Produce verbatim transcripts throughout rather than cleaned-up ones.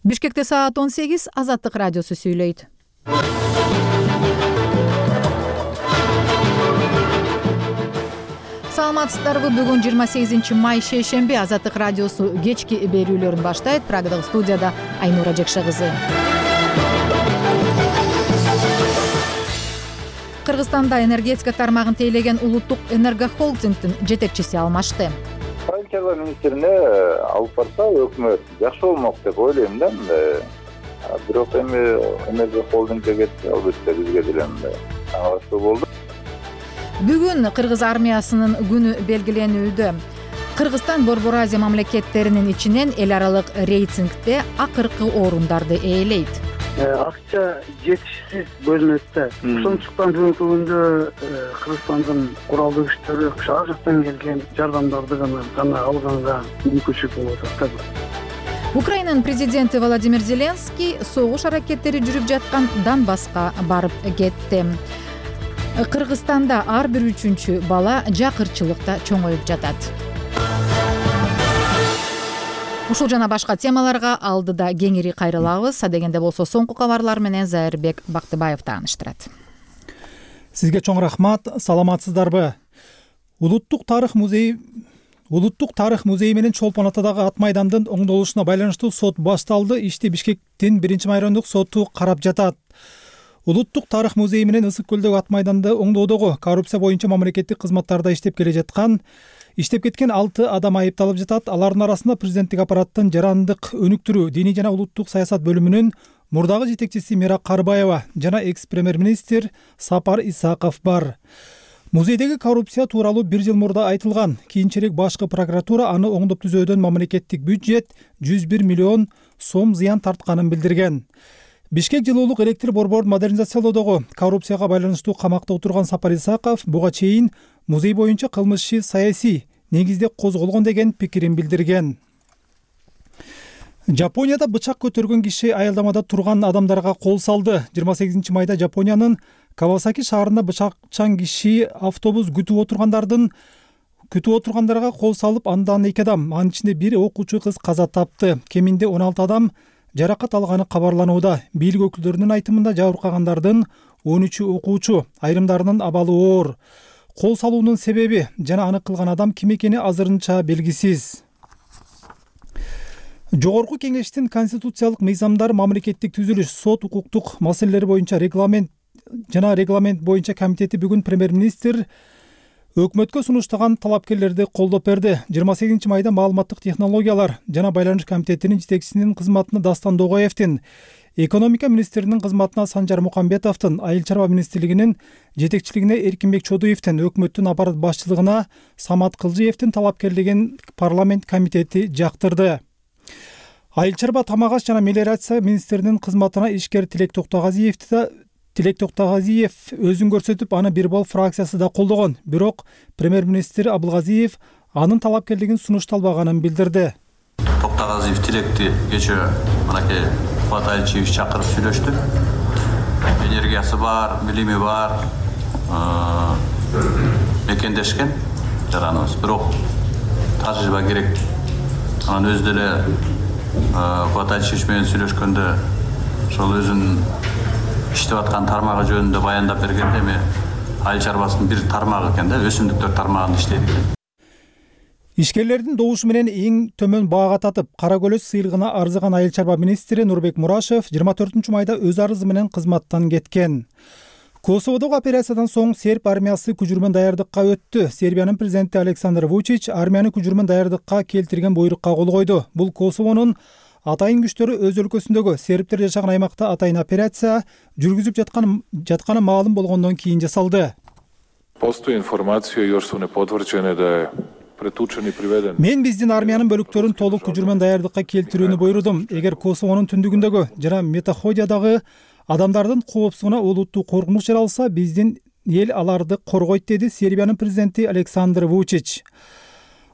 Бишкекте саат он сегиз, Азаттык радиосу сүйлөйт. Саламатсыздарбы? Бүгүн жыйырма сегизинчи май шейшемби. Азаттык радиосу кечки берүүлөрүн баштайт. Прагадагы студияда Айнура Жекше кызы. Кыргызстанда энергетика тармагын тейлеген улуттук энергохолдингдин жетекчиси алмашты. Айыл чарба министрине алып барса өкмөт жакшы болмок деп ойлойм да. Бирок эми энергохолдингге кетти, албетте бизге деле аңлашуу болду. Бүгүн Кыргыз армиясынын күнү белгиленүүдө. Кыргызстан Борбор Азия мамлекеттеринин ичинен эл аралык рейтингде акыркы орундарды ээлейт. Акча жетишсиз бөлүнөт да. Ошондуктан бүгүнкү күндө Кыргызстандын куралдуу күчтөрү ар жактан келген жардамдарды гана гана алганга мүмкүнчүлүк болуп атат. Украинанын президенти Владимир Зеленский согуш аракеттери жүрүп жаткан Донбасска барып кетти. Кыргызстанда ар бир үчүнчү бала жакырчылыкта чоңоюп жатат. Ушул жана башка темаларга алдыда кеңири кайрылабыз. Адегенде болсо соңку кабарлар менен Зайырбек Бактыбаев тааныштырат. Сизге чоң рахмат. Саламатсыздарбы? Улуттук тарых музейи Улуттук тарых музейи менен Чолпон Атадагы ат майдандын оңдолушуна байланыштуу сот башталды. Ишти Бишкектин биринчи майрондук соту карап жатат. Улуттук тарых музейи менен Ысык көлдөгү ат майданды оңдоодогу коррупция боюнча мамлекеттик кызматтарда иштеп келе жаткан иштеп кеткен алты адам айыпталып жатат. Алардын арасында президенттик аппараттын жарандык өнүктүрүү, диний жана улуттук саясат бөлүмүнүн мурдагы жетекчиси Мира Карбаева жана экс-премьер-министр Сапар Исаков бар. Музейдеги коррупция тууралуу бир жыл мурда айтылган. Кийинчерээк башкы прокуратура аны оңдоп түзөөдөн мамлекеттик бюджет жүз бир миллион сом зыян тартканын билдирген. Бишкек жылуулук электр борборун модернизациялоодогу коррупцияга байланыштуу камакта отурган Сапар Исаков буга чейин музей боюнча кылмыш иши саясий негизде козголгон деген пикирин билдирген. Жапонияда бычак көтөргөн киши аялдамада турган адамдарга кол салды. жыйырма сегизинчи майда Жапониянын Кавасаки шаарында бычакчан киши автобус күтүп отургандардын күтүп отургандарга кол салып, андан эки адам, анын ичинде бир окуучу кыз каза тапты. Кеминде он алты адам жаракат алганы кабарланууда. Бийлик өкүлдөрүнүн айтымында жабыркагандардын он үчү окуучу, айрымдарынын абалы оор. Кол салуунун себеби жана аны кылган адам ким экени азырынча белгисиз. Жогорку кеңештин конституциялык мыйзамдар, мамлекеттик түзүлүш, сот, укуктук маселелери боюнча регламент жана регламент боюнча комитети бүгүн премьер-министр өкмөткө сунуштаган талапкерлерди колдоп берди. жыйырма сегизинчи майда маалыматтык технологиялар жана байланыш комитетинин жетекчисинин кызматына Дастан Догоевдин, экономика министринин кызматына Санжар Мукамбетовдун, айыл чарба министрлигинин жетекчилигине Эркинбек Чодуевдин, өкмөттүн аппарат башчылыгына Самат Кылжиевдин талапкерлигин парламент комитети жактырды. Айыл чарба, тамак аш жана мелиорация министринин кызматына ишкер Тилек Токтогазиевди да Тилек Токтогазиев өзүн көрсөтүп, аны бир бол фракциясы да колдогон. Бирок премьер-министр Абылгазиев анын талапкерлигин сунушталбаганын билдирди. Токтогазиев Тилекти кечээ мынакей Кубат Айылчиевич чакырып сүйлөштү. Энергиясы бар, билими бар, мекендешкен жараныбыз. Бирок тажрыйба керек. Анан өзү деле Кубат Айылчиевич менен сүйлөшкөндө ошол өзүнүн иштеп аткан тармагы жөнүндө баяндап бергенде эми айыл чарбасынын бир тармагы экен да, өсүмдүктөр тармагында иштейт экен. Ишкерлердин добушу менен эң төмөн баага татып, кара көлөс сыйлыгына арзыган айыл чарба министри Нурбек Мурашев жыйырма төртүнчү майда өз арызы менен кызматтан кеткен. Косоводогу операциядан соң серб армиясы күжүрмөн даярдыкка өттү. Сербиянын президенти Александр Вучич армияны күжүрмөн даярдыкка келтирген буйрукка кол койду. Бул Косовонун атайын күчтөрү өз өлкөсүндөгү сербтер жашаган аймакта атайын операция жүргүзүп жаткан жатканы маалым болгондон кийин жасалды. Постои информација још су непотврđene да е претучен и приведен. Мен биздин армиянын бөлүктөрүн толук күжүрмөн даярдыкка келтирүүнү буйрудум. Эгер Косовонун түндүгүндөгү жана Метоходиядагы адамдардын коопсуздугуна олуттуу коркунуч жаралса, биздин эл аларды коргойт, деди Сербиянын президенти Александр Вучич.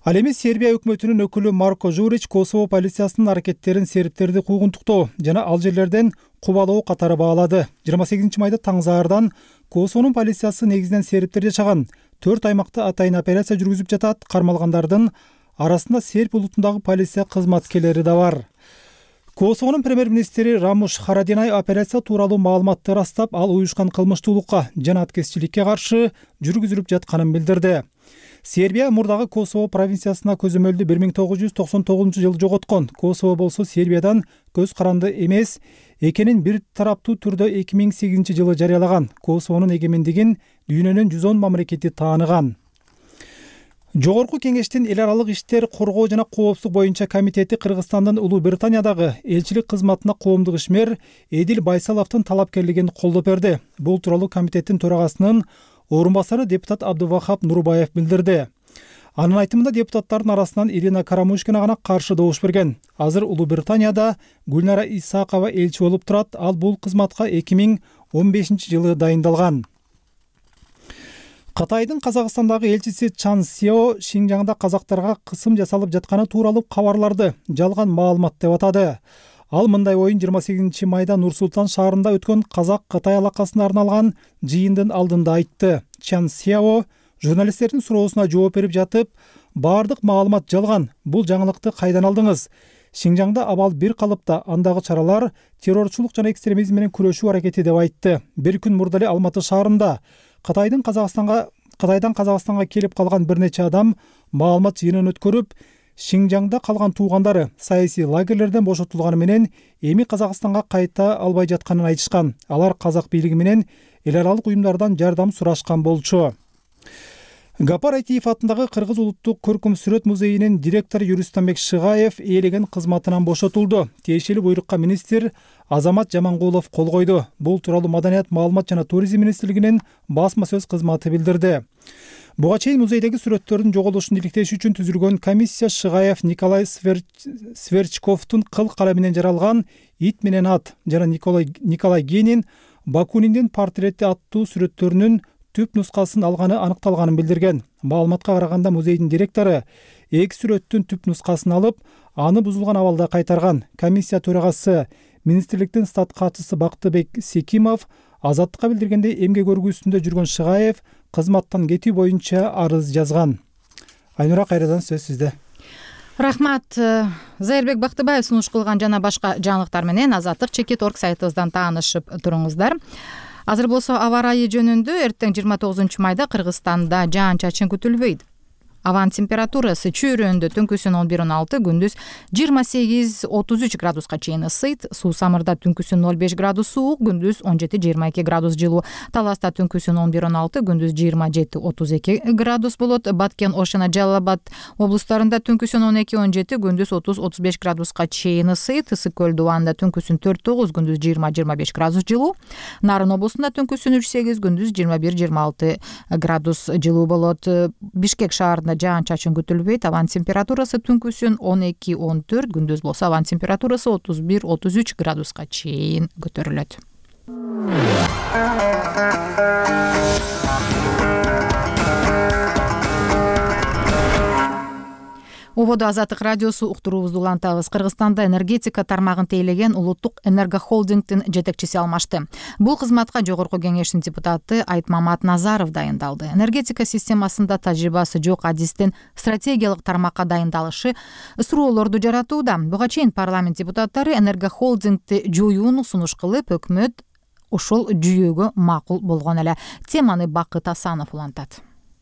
Ал эми Сербия өкмөтүнүн өкүлү Марко Журич Косово полициясынын аракеттерин сербтерди куугунтуктоо жана ал жерлерден кубалоо катары баалады. жыйырма сегизинчи майда таңзаардан Косовонун полициясы негизинен сербтер жашаган төрт аймакта атайын операция жүргүзүп жатат. Кармалгандардын арасында серб улутундагы полиция кызматкерлери да бар. Косовонун премьер-министри Рамуш Харадинай операция тууралуу маалыматты ырастап, ал уюшкан кылмыштуулукка жана аткезчиликке каршы жүргүзүлүп жатканын билдирди. Сербия мурдагы Косово провинциясына көзөмөлдү бир миң тогуз жүз токсон тогузунчу жылы жоготкон. Косово болсо Сербиядан көз каранды эмес экенин бир тараптуу түрдө эки миң сегизинчи жылы жарыялаган. Косовонун эгемендигин дүйнөнүн жүз он мамлекети тааныган. Жогорку кеңештин эл аралык иштер, коргоо жана коопсуздук боюнча комитети Кыргызстандын Улуу Британиядагы элчилик кызматына коомдук ишмер Эдил Байсаловдун талапкерлигин колдоп берди. Бул тууралуу комитеттин төрагасынын орун басары депутат Абдувахап Нурбаев билдирди. Анын айтымында депутаттардын арасынан Ирина Карамушкина гана каршы добуш берген. Азыр Улуу Британияда Гүлнара Исакова элчи болуп турат. Ал бул кызматка эки миң он бешинчи жылы дайындалган. Кытайдын Казакстандагы элчиси Чан Сео Шинжаңда казактарга кысым жасалып жатканы тууралуу кабарларды жалган маалымат деп атады. Ал мындай оюн жыйырма сегизинчи майда Нур-Султан шаарында өткөн Казак-Кытай алакасына арналган жыйындын алдында айтты. Чан Сео журналисттердин суроосуна жооп берип жатып, баардык маалымат жалган. Бул жаңылыкты кайдан алдыңыз? Шинжаңда абал бир калыпта, андагы чаралар террорчулук жана экстремизм менен күрөшүү аракети деп айтты. Бир күн мурда эле Алматы шаарында Кытайдын Казакстанга Кытайдан Казакстанга келип калган бир нече адам маалымат жыйынын өткөрүп, Шинжаңда калган туугандары саясий лагерлерден бошотулганы менен эми Казакстанга кайта албай жатканын айтышкан. Алар казак бийлиги менен эл аралык уюмдардан жардам сурашкан болчу. Гапар Айтиев атындагы Кыргыз улуттук көркөм сүрөт музейинин директору Юристанбек Шыгаев ээлеген кызматынан бошотулду. Тиешелүү буйрукка министр Азамат Жамангулов кол койду. Бул тууралуу Маданият, маалымат жана туризм министрлигинин басма сөз кызматы билдирди. Буга чейин музейдеги сүрөттөрдүн жоголушун иликтеш үчүн түзүлгөн комиссия Шыгаев Николай Сверчковдун кыл калеминен жаралган «Ит менен ат» жана Николай Генин Бакуниндин портрети аттуу сүрөттөрүнүн түп нускасын алганы аныкталганын билдирген. Маалыматка караганда музейдин директору эки сүрөттүн түп нускасын алып, аны бузулган абалда кайтарган. Комиссия төрагасы министрликтин стат катчысы Бактыбек Секимов Азаттыкка билдиргендей, эмгек өргүүсүндө жүргөн Шыгаев кызматтан кетүү боюнча арыз жазган. Айнура, кайрадан сөз сизде. Рахмат. Зайырбек Бактыбаев сунуш кылган жана башка жаңылыктар менен азаттык чекит точка орг сайтыбыздан таанышып туруңуздар. Азыр болсо аба ырайы жөнүндө эртең жыйырма тогузунчу майда Кыргызстанда жаан-чачын күтүлбөйт. Абанын температурасы чөйрөндө түнкүсүн он бир он алты, күндүз жыйырма сегиз отуз үч градуска чейин ысыйт. Суу Самырда түнкүсүн ноль беш градус суук, күндүз он жети жыйырма эки градус жылуу. Таласта түнкүсүн он бир он алты, күндүз жыйырма жети отуз эки градус болот. Баткен, Ош жана Жалал Абад облустарында түнкүсүн он эки он жети, күндүз отуз отуз беш градуска чейин ысыйт. Ысык көл дубанында түнкүсүн төрт тогуз, күндүз жыйырма жыйырма беш градус жылуу. Нарын облусунда түнкүсүн үч сегиз, күндүз жыйырма бир жыйырма алты градус жылуу болот. Бишкек шаарында жаан-чачын күтүлбөйт. Абанын температурасы түнкүсүн он эки он төрт, күндүз болсо абанын температурасы отуз бир отуз үч градуска чейин көтөрүлөт. Ободо Азаттык радиосу уктуруубузду улантабыз. Кыргызстанда энергетика тармагын тейлеген Улуттук энергохолдингдин жетекчиси алмашты. Бул кызматка жогорку кеңештин депутаты Айтмамат Назаров дайындалды. Энергетика системасында тажрыйбасы жок адистин стратегиялык тармакка дайындалышы суроолорду жаратууда. Буга чейин парламент депутаттары энергохолдингди жоюуну сунуш кылып, өкмөт ушул жүйөгө макул болгон эле. Теманы Бакыт Асанов улантат.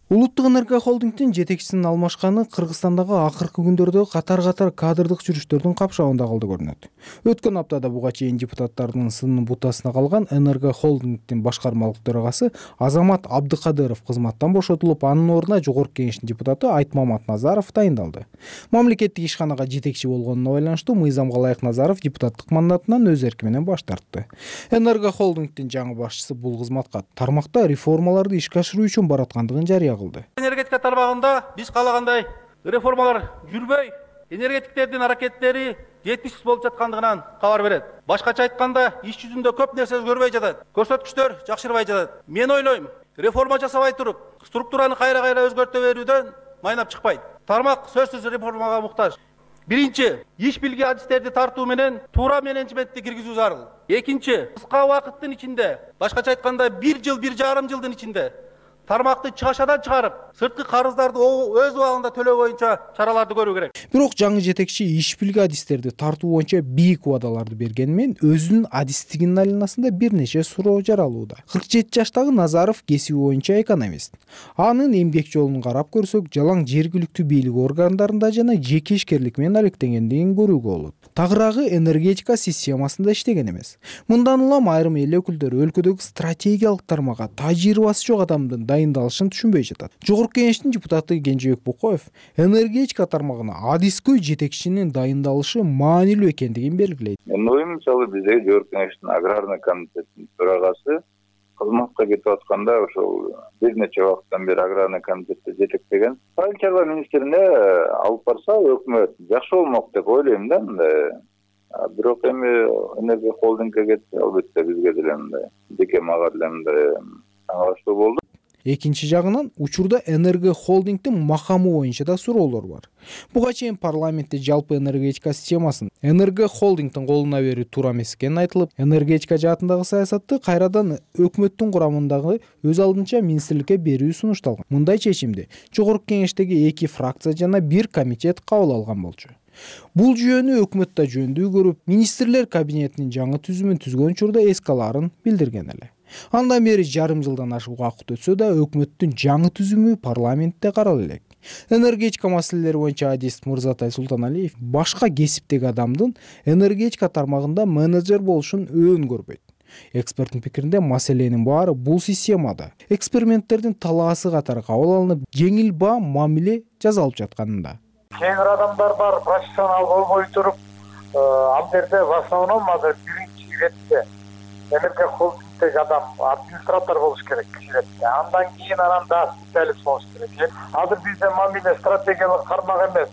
Улуттук энергохолдингдин жетекчисинин алмашканы Кыргызстандагы акыркы күндөрдө катар-катар кадрдык жүрүштөрдүн капшабында калды көрүнөт. Өткөн аптада буга чейин депутаттардын сынын бутасына калган энергохолдингдин башкармалык төрагасы Азамат Абдыкадыров кызматтан бошотулуп, анын ордуна жогорку кеңештин депутаты Айтмамат Назаров дайындалды. Мамлекеттик ишканага жетекчи болгонуна байланыштуу мыйзамга ылайык Назаров депутаттык мандатынан өз эрки менен баш тартты. Энергохолдингдин жаңы башчысы бул кызматка тармакта реформаларды ишке ашыруу үчүн бараткандыгын жарыя кылды. Энергетика тармагында биз каалагандай реформалар жүрбөй, энергетиктердин аракеттери жетишсиз болуп жаткандыгынан кабар берет. Башкача айтканда, иш жүзүндө көп нерсе өзгөрбөй жатат. Көрсөткүчтөр жакшырбай жатат. Мен ойлойм, реформа жасабай туруп, структураны кайра-кайра өзгөртө берүүдөн майнап чыкпайт. Тармак сөзсүз реформага муктаж. Биринчи, иш билги адистерди тартуу менен туура менеджментти киргизүү зарыл. Экинчи, кыска убакыттын ичинде, башкача айтканда бир жыл, бир жарым жылдын ичинде тармакты чыгашадан чыгарып, сырткы карыздарды өз убагында төлөө боюнча чараларды көрүү керек. Бирок жаңы жетекчи иш билги адистерди тартуу боюнча бийик убадаларды бергени менен өзүнүн адистигинин айланасында бир нече суроо жаралууда. кырк жети жаштагы Назаров кесиби боюнча экономист. Анын эмгек жолун карап көрсөк, жалаң жергиликтүү бийлик органдарында жана жеке ишкерлик менен алектенгендигин көрүүгө болот. Тагыраагы энергетика системасында иштеген эмес. Мындан улам айрым эл өкүлдөрү өлкөдөгү стратегиялык тармакка тажрыйбасы жок адамдын дайындалышын түшүнбөй жатат. Жогорку кеңештин депутаты Кенжебек Бокоев энергетика тармагына адискөй жетекчинин дайындалышы маанилүү экендигин белгилейт. Менин оюм мисалы биздеги жогорку кеңештин аграрный комитетинин төрагасы кызматка кетип атканда ошол бир нече убакыттан бери аграрный комитетте жетектеген. Айыл чарба министрине алып барса өкмөт жакшы болмок деп ойлойм да. Бирок эми энергия холдингге кетти, албетте бизге деле мындай деке мага деле мындай таңалыштуу болду. Экинчи жагынан учурда энергия холдингдин макамы боюнча да суроолор бар. Буга чейин парламентте жалпы энергетика системасын энергия холдингдин колуна берүү туура эмес экени айтылып, энергетика жаатындагы саясатты кайрадан өкмөттүн курамындагы өз алдынча министрликке берүү сунушталган. Мындай чечимди жогорку кеңештеги эки фракция жана бир комитет кабыл алган болчу. Бул жүйөнү өкмөт да жөндүү көрүп, министрлер кабинетинин жаңы түзүмүн түзгөн учурда эске алаарын билдирген эле. Андан бери жарым жылдан ашык убакыт өтсө да өкмөттүн жаңы түзүмү парламентте каралып элек. Энергетика маселелери боюнча адист Мырзатай Султаналиев башка кесиптеги адамдын энергетика тармагында менеджер болушун өөн көрбөйт. Эксперттин пикиринде маселенин баары бул системада эксперименттердин талаасы катары кабыл алынып, жеңил баа мамиле жасалып жатканында. Кээ бир адамдар бар, профессионал болбой туруп, ал жерде в основном азыр биринчи иретте энергия холдингдеги адам администратор болуш керек киширетте. Андан кийин анан да специалист болуш керек. Азыр бизде мамиле стратегиялык кармак эмес.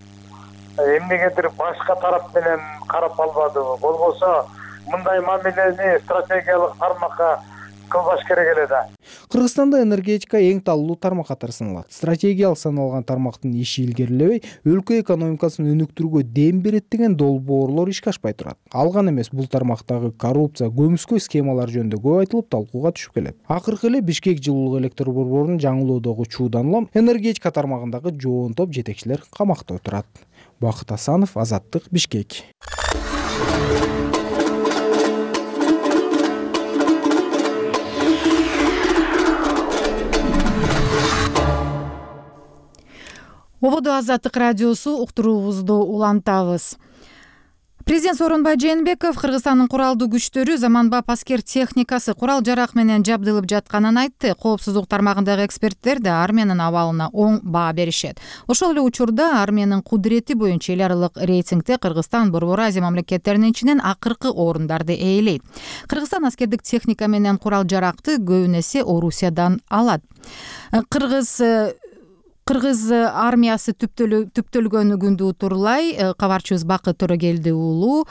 Эмнегедир башка тарап менен карап албадыбы? Болбосо мындай мамилени стратегиялык тармакка кылбаш керек эле да. Кыргызстанда энергетика эң талуу тармак катары саналат. Стратегиялык саналган тармактын иши илгерилебей, өлкө экономикасын өнүктүрүүгө дем берет деген долбоорлор ишке ашпай турат. Ал гана эмес, бул тармактагы коррупция, көмүскө схемалар жөнүндө көп айтылып, талкууга түшүп келет. Акыркы эле Бишкек жылуулук электр борборунун жаңылоодогу чуудан улам энергетика тармагындагы жоон топ жетекчилер камакта отурат. Бакыт Асанов, Азаттык, Бишкек. Ободо Азаттык радиосу, уктуруубузду улантабыз. Президент Сооронбай Жээнбеков Кыргызстандын куралдуу күчтөрү заманбап аскер техникасы, курал-жарак менен жабдылып жатканын айтты. Коопсуздук тармагындагы эксперттер да армиянын абалына оң баа беришет. Ошол эле учурда армиянын кудурети боюнча эл аралык рейтингде Кыргызстан Борбор Азия мамлекеттеринин ичинен акыркы орундарды ээлейт. Кыргызстан аскердик техника менен курал-жаракты көбүн эсе Орусиядан алат. Кыргыз Кыргыз армиясы түптөлгөн күндү утурлай кабарчыбыз Бакыт Төрөгелди уулу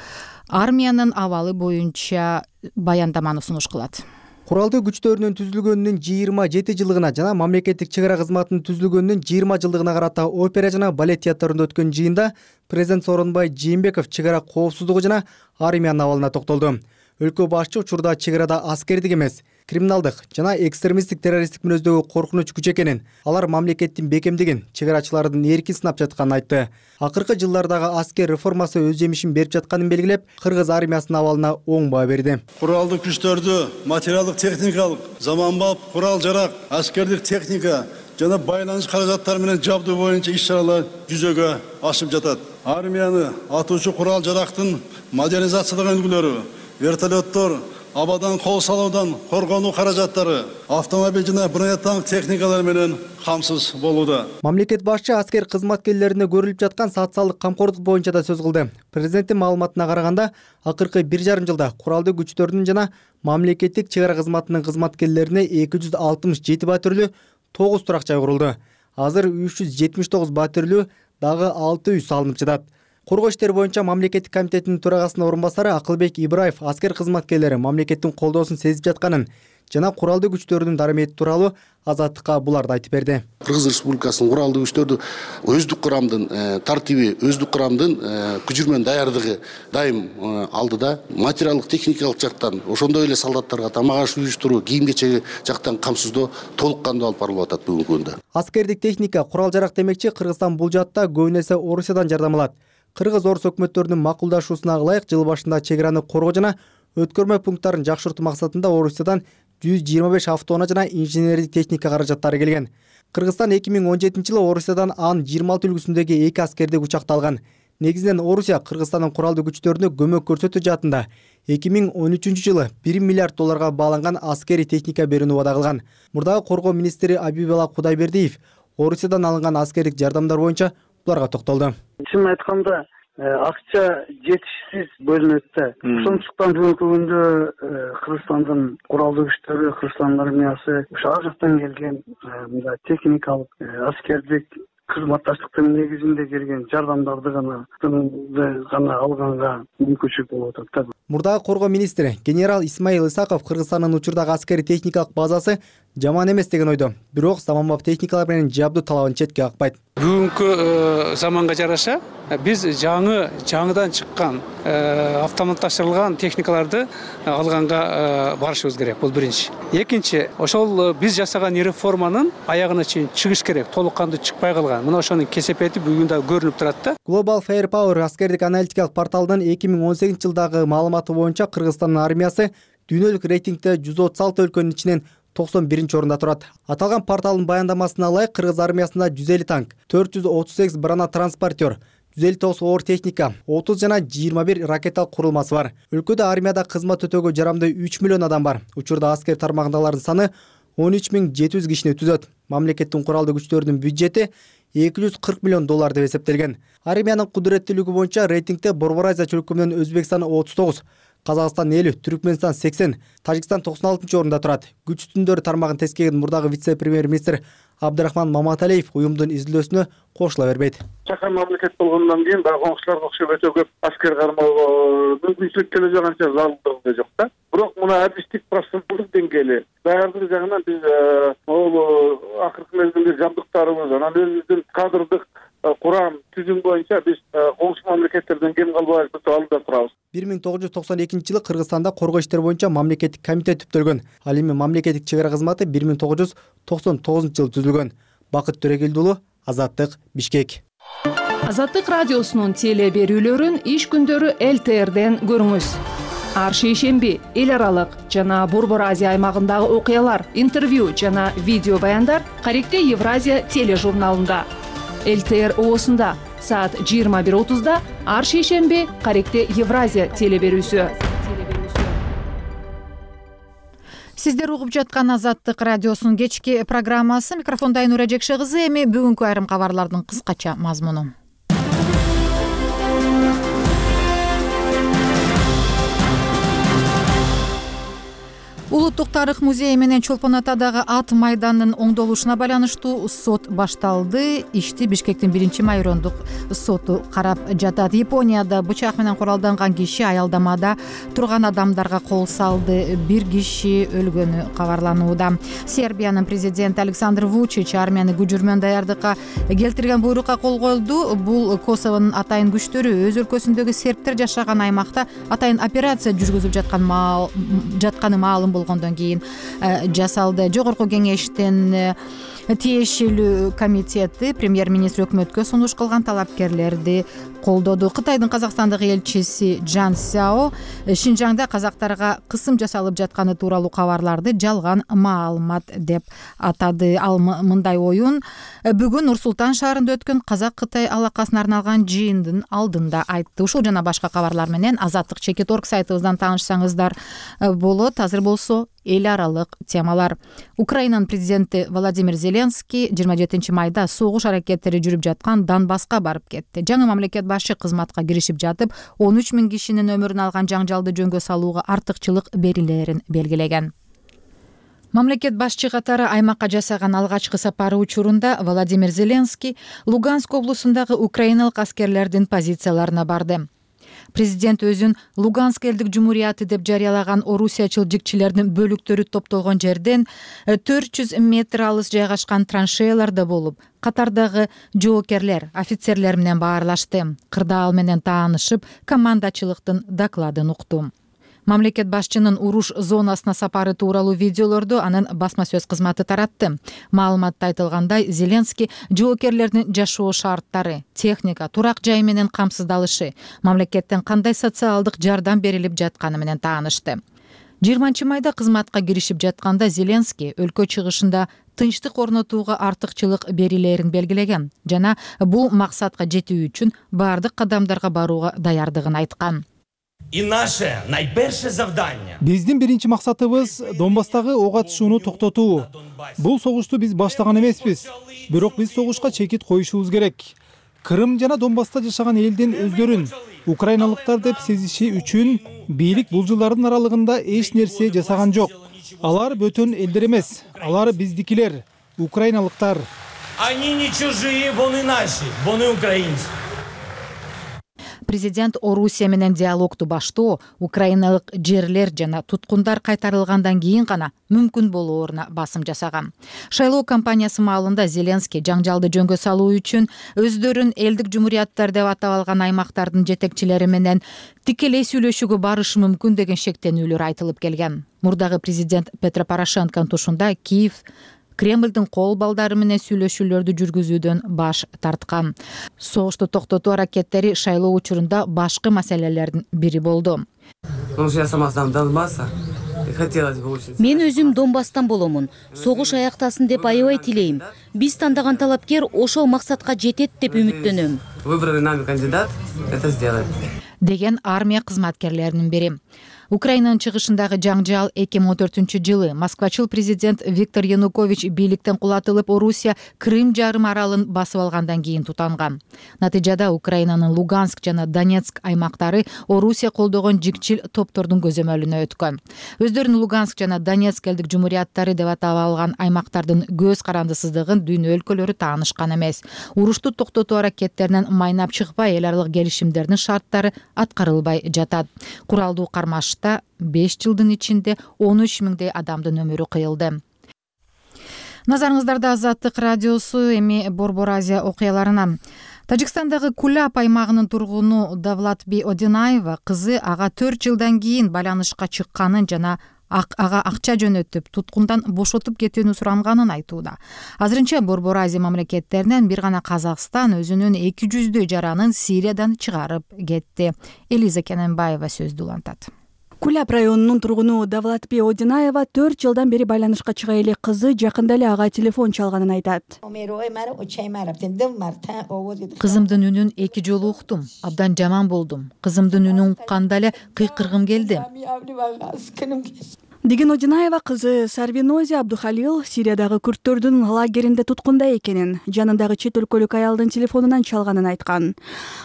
армиянын абалы боюнча баяндаманы сунуш кылат. Куралдуу күчтөрүнүн түзүлгөнүнүн жыйырма жети жылдыгына жана мамлекеттик чек ара кызматынын түзүлгөнүнүн жыйырма жылдыгына карата опера жана балет театрында өткөн жыйында президент Сооронбай Жээнбеков чек ара коопсуздугу жана армиянын абалына токтолду. Өлкө башчы учурда чек арада аскердик эмес, криминалдык жана экстремисттик террористтик мүнөздөгү коркунуч күч экенин, алар мамлекеттин бекемдигин, чек арачылардын эркин сынап жатканын айтты. Акыркы жылдардагы аскер реформасы өз жемишин берип жатканын белгилеп, кыргыз армиясынын абалына оң баа берди. Куралдык күчтөрдү материалдык, техникалык, заманбап курал-жарак, аскердик техника жана байланыш каражаттары менен жабдуу боюнча иш-чаралар жүзөгө ашып жатат. Армияны атуучу курал-жарактын модернизацияланган үлгүлөрү, вертолеттор, абадан кол салуудан коргонуу каражаттары, автомобиль жана бронетанк техникалар менен камсыз болууда. Мамлекет башчы аскер кызматкерлерине көрүлүп жаткан социалдык камкордук боюнча да сөз кылды. Президенттин маалыматына караганда, акыркы бир жарым жылда куралдуу күчтөрдүн жана мамлекеттик чек ара кызматынын кызматкерлерине эки жүз алтымыш жети батирлүү тогуз турак жай курулду. Азыр үч жүз жетимиш тогуз батирлүү дагы алты үй салынып жатат. Коргоо иштери боюнча мамлекеттик комитетинин төрагасынын орун басары Акылбек Ибраев аскер кызматкерлери мамлекеттин колдоосун сезип жатканын, жана куралдуу күчтөрдүн дарымети тууралуу Азаттыкка буларды айтып берди. Кыргыз Республикасынын куралдуу күчтөрдү өздүк курамдын тартиби, өздүк курамдын күчүрмөн даярдыгы дайым алдыда. Материалдык техникалык жактан, ошондой эле солдаттарга тамак аш уюштуруу, кийим кечеги жактан камсыздоо толук кандуу алып барылып атат бүгүнкү күндө. Аскердик техника, курал жарак демекчи Кыргызстан бул жаатта көбүн эсе Орусиядан жардам алат. Кыргыз орус өкмөттөрүнүн макулдашуусуна ылайык жыл башында чек араны коргоо жана өткөрмө пункттарын жакшыртуу максатында Орусиядан жүз жыйырма беш автоунаа жана инженердик техника каражаттары келген. Кыргызстан эки миң он жетинчи жылы Орусиядан анын жыйырма алты үлгүсүндөгү эки аскердик учакты алган. Негизинен Орусия Кыргызстандын куралдуу күчтөрүнө көмөк көрсөтүү жаатында эки миң он үчүнчү жылы бир миллиард долларга бааланган аскерий техника берүүнү убада кылган. Мурдагы коргоо министри Абибала Кудайбердиев Орусиядан алынган аскердик жардамдар боюнча буларга токтолду. Чын айтканда, акча жетишсиз бөлүнөт да. Ошондуктан бүгүнкү күндө Кыргызстандын куралдуу күчтөрү, Кыргызстандын армиясы ошо ар жактан келген мындай техникалык, аскердик кызматташтыктын негизинде келген жардамдарды гана гана алганга мүмкүнчүлүк болуп атат да. Мурдагы коргоо министри генерал Исмаил Исаков Кыргызстандын учурдагы аскерий техникалык базасы жаман эмес деген ойдо. Бирок заманбап техникалар менен жабдуу талабын четке какпайт. Бүгүнкү заманга жараша биз жаңы жаңыдан чыккан автоматташтырылган техникаларды алганга барышыбыз керек. Бул биринчи. Экинчи, ошол биз жасаган реформанын аягына чейин чыгыш керек. Толук кандуу чыкпай калган. Мына ошонун кесепети бүгүн да көрүнүп турат да. Global Firepower аскердик аналитикалык порталынын эки миң он сегизинчи жылдагы маалыматы боюнча Кыргызстандын армиясы дүйнөлүк рейтингде жүз отуз алты өлкөнүн ичинен токсон биринчи орунда турат. Аталган порталдын баяндамасына ылайык Кыргыз армиясында жүз элүү танк, төрт жүз отуз сегиз брана транспортер, жүз элүү тогуз оор техника, отуз жана жыйырма бир ракеталык курулмасы бар. Өлкөдө армияда кызмат өтөөгө жарамдуу үч миллион адам бар. Учурда аскер тармагындагылардын саны он үч миң жети жүз кишини түзөт. Мамлекеттин куралдуу күчтөрүнүн бюджети эки жүз кырк миллион доллар деп эсептелген. Армиянын кудуреттүүлүгү боюнча рейтингде Борбор Азия чөлкөмү менен Өзбекстан отуз тогуз, Казакстан элүү, Түркмөнстан сексен, Тажикстан токсон алтынчы орунда турат. Күч түтүндөрү тармагын тескерген мурдагы вице-премьер-министр Абдрахман Маматалиев уюмдун изилдөөсүнө кошула бербейт. Чакан мамлекет болгондон кийин баягы коңшуларга окшоп өтө көп аскер кармоого мүмкүнчүлүк келе жатканча залалдыгы жок да. Бирок мына адистик профессионалдык деңгээли даярдык жагынан биз могул акыркы мезгилде жабдыктарыбыз, анан өзүбүздүн кадрдык курам түзүм боюнча биз коңшу мамлекеттерден кем калбай алдыда турабыз. бир миң тогуз жүз токсон экинчи жылы Кыргызстанда коргоо иштери боюнча мамлекеттик комитет түптөлгөн. Ал эми мамлекеттик чек ара кызматы бир миң тогуз жүз токсон тогузунчу жылы түзүлгөн. Бакыт Төрөгелди уулу, Азаттык, Бишкек. Азаттык радиосунун теле берүүлөрүн иш күндөрү эл тэ эрден көрүңүз. Ар шейшемби эл аралык жана Борбор Азия аймагындагы окуялар, интервью жана видео баяндар Каректе Евразия тележурналында. эл тэ эр оосунда саат жыйырма бир отузда, ар шейшемби Каректе Евразия теле берүүсү. Сиздер угуп жаткан Азаттык радиосунун кечки программасы. Микрофонда Айнура Жекше кызы. Эми бүгүнкү айрым кабарлардын кыскача мазмуну. Улуттук тарых музейи менен Чолпон Атадагы ат майдандын оңдолушуна байланыштуу сот башталды. Ишти Бишкектин биринчи майрондук соту карап жатат. Японияда бычак менен куралданган киши аялдамада турган адамдарга кол салды. Бир киши өлгөнү кабарланууда. Сербиянын президенти Александр Вучич армияны күчүрмөн даярдыкка келтирген буйрукка кол койду. Бул Косовонун атайын күчтөрү өз өлкөсүндөгү сербтер жашаган аймакта атайын операция жүргүзүп жаткан жатканы маалым болгондон кийин жасалды. Жогорку кеңештин тиешелүү комитети премьер-министр өкмөткө сунуш кылган талапкерлерди колдоду. Кытайдын Казакстандагы элчиси Джан Сяо Шинжаңда казактарга кысым жасалып жатканы тууралуу кабарларды жалган маалымат деп атады. Ал мындай оюн бүгүн Нур-Султан шаарында өткөн Казак-Кытай алакасына арналган жыйындын алдында айтты. Ушул жана башка кабарлар менен Азаттык чекит точка орг сайтыбыздан таанышсаңыздар болот. Азыр болсо эл аралык темалар. Украинанын президенти Владимир Зеленский жыйырма жетинчи майда согуш аракеттери жүрүп жаткан Донбасска барып кетти. Жаңы мамлекет башы кызматка киришип жатып, он үч миң кишинин өмүрүн алган жаңжалды жөнгө салууга артыкчылык берилерин белгилеген. Мамлекет башчы катары аймакка жасаган алгачкы сапары учурунда Владимир Зеленский Луганск облусундагы украиналык аскерлердин позицияларына барды. Президент өзүн Луганск элдик жумурияты деп жарыялаган орусиячыл жигчилердин бөлүктөрү топтолгон жерден төрт жүз метр алыс жайгашкан траншеяларда болуп, катардагы жоокерлер, офицерлер менен баарлашты. Кырдаал менен таанышып, командачылыктын докладын укту. Мамлекет башчынын уруш зонасына сапары тууралуу видеолорду анын басма сөз кызматы таратты. Маалыматта айтылгандай, Зеленский жоокерлердин жашоо шарттары, техника, турак жай менен камсыздалышы, мамлекеттен кандай социалдык жардам берилип жатканы менен таанышты. жыйырманчы майда кызматка киришип жатканда Зеленский өлкө чыгышында тынчтык орнотууга артыкчылык берилерин белгилеген жана бул максатка жетүү үчүн баардык кадамдарга барууга даярдыгын айткан. И наше наиперше завдание. Биздин биринчи максатыбыз Донбасстагы ок атышууну токтотуу. Бул согушту биз баштаган эмеспиз, бирок биз согушка чекит коюшубуз керек. Крым жана Донбасста жашаган элдин өздөрүн украиналыктар деп сезиши үчүн бийлик бул жылдардын аралыгында эч нерсе жасаган жок. Алар бөтөн элдер эмес, алар биздикилер, украиналыктар. Они не чужие, вони наши, вони украинцы. Президент Орусия менен диалогду баштоо украиналык жерлер жана туткундар кайтарылгандан кийин гана мүмкүн болооруна басым жасаган. Шайлоо кампаниясы маалында Зеленский жаңжалды жөнгө салуу үчүн өздөрүн элдик жумурияттар деп атап алган аймактардын жетекчилери менен тикелей сүйлөшүүгө барышы мүмкүн деген шектенүүлөр айтылып келген. Мурдагы президент Петро Порошенконун тушунда Киев Кремлдин кол балдары менен сүйлөшүүлөрдү жүргүзүүдөн баш тарткан. Согушту токтотуу аракеттери шайлоо учурунда башкы маселелердин бири болду. Мен өзүм Донбасстан боломун. Согуш аяктасын деп аябай тилейм. Биз тандаган талапкер ошол максатка жетет деп үмүттөнөм. Выбранный нами кандидат это сделает. Деген армия кызматкерлеринин бири. Украинанын чыгышындагы жаңжал эки миң он төртүнчү жылы Москвачыл президент Виктор Янукович бийликтен кулатылып, Орусия Крым жарым аралын басып алгандан кийин тутанган. Натыйжада Украинанын Луганск жана Донецк аймактары Орусия колдогон жигчил топтордун көзөмөлүнө өткөн. Өздөрүн Луганск жана Донецк элдик жумурияттары деп атап алган аймактардын көз карандысыздыгын дүйнө өлкөлөрү таанышкан эмес. Урушту токтотуу аракеттеринен майнап чыкпай, эл аралык келишимдердин шарттары аткарылбай жатат. Куралдуу кармаш беш жылдын ичинде он үч миңдей адамдын өмүрү кыйылды. Назарыңыздарда Азаттык радиосу, эми Борбор Азия окуяларына. Тажикстандагы Кулап аймагынын тургуну Давлатби Одинаева кызы ага төрт жылдан кийин байланышка чыкканын жана ага акча жөнөтүп, туткундан бошотуп кетүүнү суранганын айтууда. Азырынча Борбор Азия мамлекеттеринен бир гана Казакстан өзүнүн эки жүздөй жаранын Сириядан чыгарып кетти. Элиза Кененбаева сөздү улантат. Кулап районунун тургуну Давлатби Одинаева төрт жылдан бери байланышка чыга элек кызы жакында эле ага телефон чалганын айтат. Кызымдын үнүн эки жолу уктум, абдан жаман болдум. Кызымдын үнүн укканда эле кыйкыргым келди. Деген Одинаева кызы Сарвинози Абдухалил Сириядагы күрттөрдүн лагеринде туткунда экенин, жанындагы чет өлкөлүк аялдын телефонунан чалганын айткан.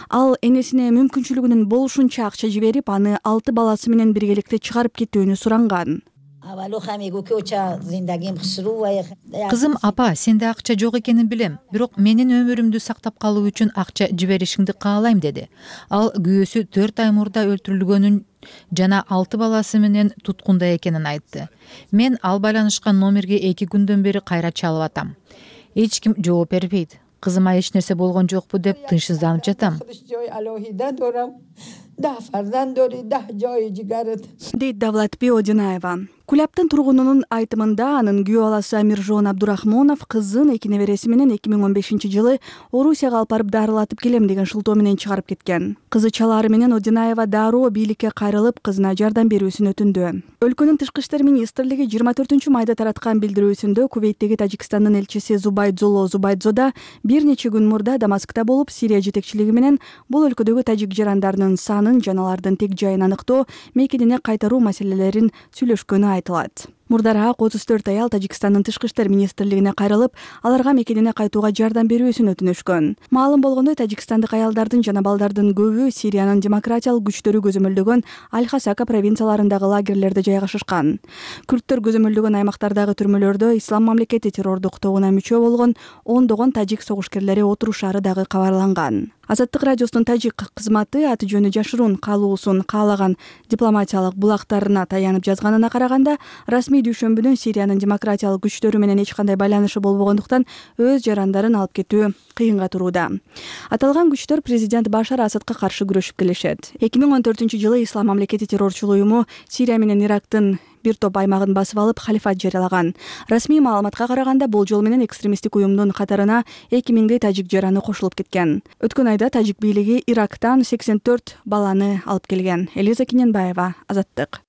Ал энесине мүмкүнчүлүгүнүн болушунча акча жиберип, аны алты баласы менен биргеликте чыгарып кетүүнү суранган. Кызым, апа, сенде акча жок экенин билем, бирок менин өмүрүмдү сактап калуу үчүн акча жиберишиңди каалайм деди. Ал күйөөсү төрт ай мурда өлтүрүлгөнүн жана алты баласы менен туткунда экенин айтты. Мен ал байланышкан номерге эки күндөн бери кайра чалып атам. Эч ким жооп бербейт. Кызыма эч нерсе болгон жокпу деп тынчсызданып жатам. Дейт Давлатби Одинаева. Кулаптын тургунунун айтымында анын күйөө баласы Амиржон Абдурахмонов кызын эки небереси менен эки миң он бешинчи жылы Орусияга алып барып дарылатып келем деген шылтоо менен чыгарып кеткен. Кызы чалаары менен Одинаева дароо бийликке кайрылып, кызына жардам берүүсүн өтүндү. Өлкөнүн тышкы иштер министрлиги жыйырма төртүнчү майда тараткан билдирүүсүндө Кувейттеги Тажикстандын элчиси Зубайдзоло Зубайдзода бир нече күн мурда Дамаскта болуп, Сирия жетекчилиги менен бул өлкөдөгү тажик жарандарынын санын жана алардын тек жайын аныктоо, мекенине кайтаруу маселелерин сүйлөшкөнү айтылат. Мурдараак отуз төрт аял Тажикстандын тышкы иштер министрлигине кайрылып, аларга мекенине кайтууга жардам берүүсүн өтүнүшкөн. Маалым болгондой, тажикстандык аялдардын жана балдардын көбү Сириянын демократиялык күчтөрү көзөмөлдөгөн Аль-Хасака провинцияларындагы лагерлерде жайгашышкан. Күрттөр көзөмөлдөгөн аймактардагы түрмөлөрдө Ислам мамлекети террордук тобуна мүчө болгон ондогон тажик согушкерлери отурушаары дагы кабарланган. Азаттык радиосунун тажик кызматы аты жөнү жашыруун калуусун каалаган дипломатиялык булактарына таянып жазганына караганда, расмий дүйшөмбүнүн Сириянын демократиялык күчтөрү менен эч кандай байланышы болбогондуктан өз жарандарын алып кетүү кыйынга турууда. Аталган күчтөр президент Башар Асадка каршы күрөшүп келишет. эки миң он төртүнчү жылы Ислам мамлекети террорчул уюму Сирия менен Ирактын бир топ аймагын басып алып, халифат жарыялаган. Расмий маалыматка караганда, бул жол менен экстремисттик уюмдун катарына эки миңдей тажик жараны кошулуп кеткен. Өткөн айда тажик бийлиги Ирактан сексен төрт баланы алып келген. Элиза Киненбаева, Азаттык.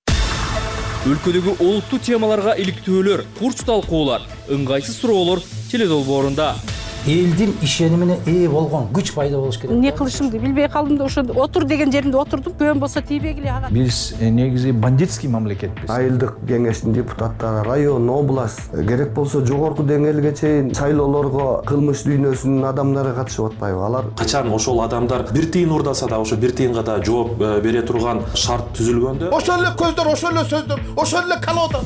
Өлкөдөгү олуттуу темаларга иликтөөлөр, курч талкуулар, ыңгайсыз суроолор теледолбоорунда. Элдин ишенимине ээ болгон күч пайда болуш керек. Эмне кылышымды билбей калдым да, ошо отур деген жеримде отурдум. Көбүн болсо тийбегиле ага. Биз негизи бандитский мамлекетпиз. Айылдык кеңештин депутаттары, район, область, керек болсо жогорку деңгээлге чейин шайлоолорго кылмыш дүйнөсүнүн адамдары катышып атпайбы? Алар качан ошол адамдар бир тыйын урдаса да ошо бир тыйынга да жооп бере турган шарт түзүлгөндө, ошол эле көздөр, ошол эле сөздөр, ошол эле колода.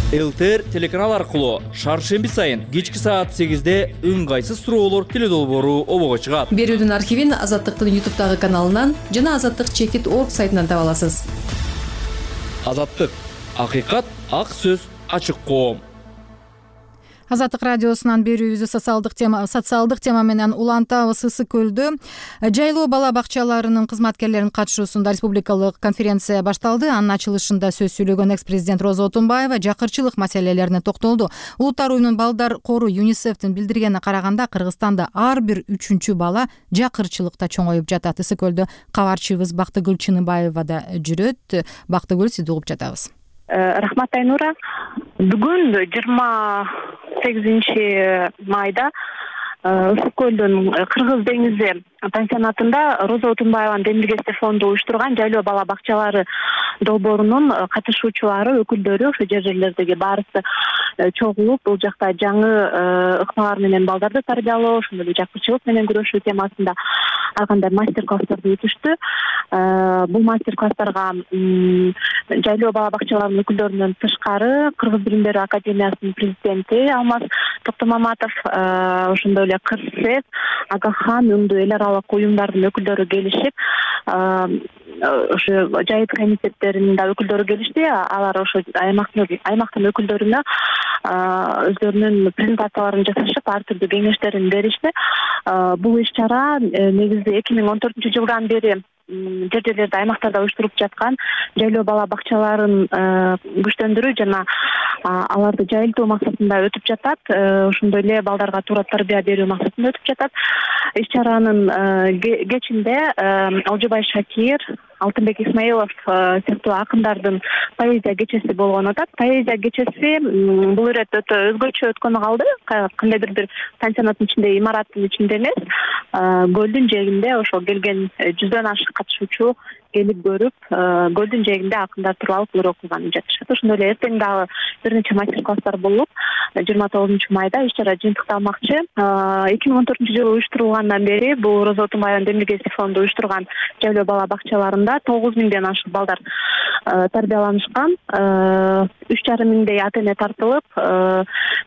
ЛТР телеканал аркылуу шаршемби сайын кечки саат сегизде ыңгайсыз суроолор теледолбоору обого чыгат. Берүүнүн архивин Азаттыктын ютубтагы каналынан жана азаттык чекит точка орг сайтынан таба аласыз. Азаттык, акыйкат, ак сөз, ачык коом. Азаттык радиосунан берүүбүздү социалдык тема социалдык тема менен улантабыз. Ысык көлдө жайлоо бала бакчаларынын кызматкерлеринин катышуусунда республикалык конференция башталды. Анын ачылышында сөз сүйлөгөн экс-президент Роза Отунбаева жакырчылык маселелерине токтолду. Улуттар уюмунун балдар кору ЮНИСЕФтин билдиргенине караганда, Кыргызстанда ар бир үчүнчү бала жакырчылыкта чоңоюп жатат. Ысык көлдө кабарчыбыз Бактыгүл Чыныбаева да жүрөт. Бактыгүл, сизди угуп жатабыз. Рахмат Айнура. Бүгүн жыйырма сегизинчи майда Ысык көлдүн Кыргыз деңизи пансионатында Роза Отунбаеванын демилгеси фонду уюштурган жайлоо бала бакчалары долбоорунун катышуучулары, өкүлдөрү, ошо жер жерлердеги баарысы чогулуп, бул жакта жаңы ыкмалар менен балдарды тарбиялоо, ошондой эле жакырчылык менен күрөшүү темасында ар кандай мастер-класстарды өтүштү. Бул мастер-класстарга жайлоо бала бакчаларынын өкүлдөрүнөн тышкары Кыргыз билим берүү академиясынын президенти Алмаз Токтомаматов, ошондой эле Кырсез, Агахан, Үндү эл аралык уюмдардын өкүлдөрү келишип, ошо жайыт комитеттеринин да өкүлдөрү келишти. Алар ошо аймактын аймактын өкүлдөрүнө өздөрүнүн презентацияларын жасашып, ар түрдүү кеңештерин беришти. Бул иш-чара негизи эки миң он төртүнчү жылдан бери жер жерлерде, аймактарда уюштуруп жаткан жайлоо бала бакчаларын күчтөндүрүү жана аларды жайылтуу максатында өтүп жатат. Ошондой эле балдарга туура тарбия берүү максатында өтүп жатат. Иш-чаранын кечинде Алжыбай Шакир, Алтынбек Исмаилов сыяктуу акындардын поэзия кечеси болгон атат. Поэзия кечеси бул ирет өтө өзгөчө өткөнү калды. Кандайдыр бир пансионаттын ичинде, имараттын ичинде эмес, көлдүн жээгинде ошол келген жүздөн ашык катышуучу келип көрүп, көлдүн жээгинде акындар туруп алып ыр окуган жатышат. Ошондой эле эртең дагы бир нече мастер-класстар болуп, жыйырма тогузунчу майда иш-чара жыйынтыкталмакчы. эки миң он төртүнчү жылы уюштурулгандан бери бул Роза Отунбаеванын демилгеси фонду уюштурган жайлоо бала бакчаларында тогуз миңден ашык балдар тарбияланышкан. үч жарым миңдей ата-эне тартылып,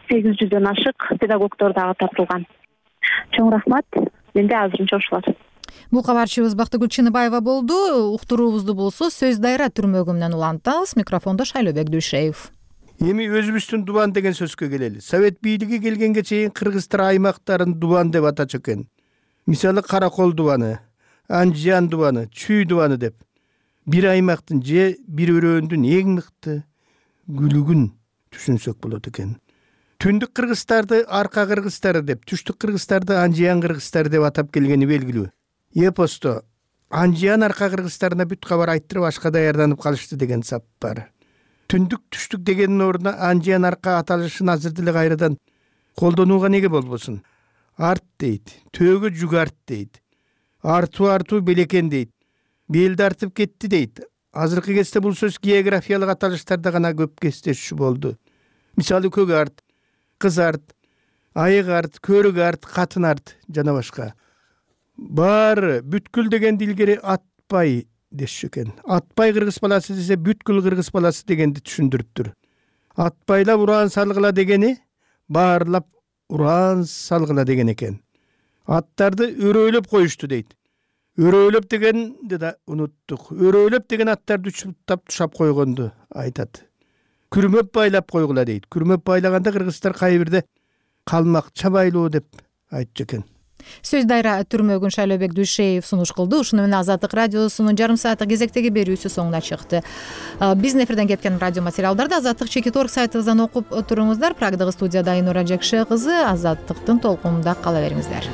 сегиз жүздөн ашык педагогдор дагы тартылган. Чоң рахмат. Менде азырынча ушулар. Бул кабарчыбыз Бактыгүл Чыныбаева болду. Уктуруубузду болсо сөз дайра түрмөгү менен улантабыз. Микрофондо Шайлообек Дүйшеев. Эми өзүбүздүн дубан деген сөзгө келели. Совет бийлиги келгенге чейин кыргыздар аймактарын дубан деп атачу экен. Мисалы Каракол дубаны, Анжан дубаны, Чүй дубаны деп. Бир аймактын же бир өрөөндүн эң мыкты күлүгүн түшүнсөк болот экен. Түндүк кыргыздарды арка кыргыздары деп, түштүк кыргыздарды Анжан кыргыздары деп атап келгени белгилүү. Эпосто Анжан арка кыргыздарына бүт кабар айттырып ашка даярданып калышты деген сап бар. Түндүк түштүк дегенин ордуна Анжан арка аталышын азыр деле кайрадан колдонууга неге болбосун? Арт дейт, төөгө жүк арт дейт. Артуу артуу белекен дейт. Белди артып кетти дейт. Азыркы кезде бул сөз географиялык аталыштарда гана көп кездешүү болду. мисалы көк арт, кыз арт, айык арт, көрүк арт, катын арт жана башка. Баары бүткүл дегенди илгери атпай дешчү экен. Атпай кыргыз баласы десе бүткүл кыргыз баласы дегенди түшүндүрүптүр. Атпайлап ураан салгыла дегени баарлап ураан салгыла деген экен. Аттарды өрөөлөп коюшту дейт. Өрөөлөп дегенди да унуттук. Өрөөлөп деген аттарды учуптап тушап койгонду айтат. Күрмөп байлап койгула дейт. Күрмөп байлаганда кыргыздар кайбирде калмак чабайлоо деп айтчу экен. Сөз дайра түрмөгүн Шайлообек Дүйшеев сунуш кылды. Ушуну менен Азаттык радиосунун жарым сааттык кезектеги берүүсү соңуна чыкты. Биздин эфирден кеткен радио материалдарды Азаттык чекит орг сайтыбыздан окуп туруңуздар. Прагдагы студияда Айнура Жекше кызы. Азаттыктын толкунунда кала бериңиздер.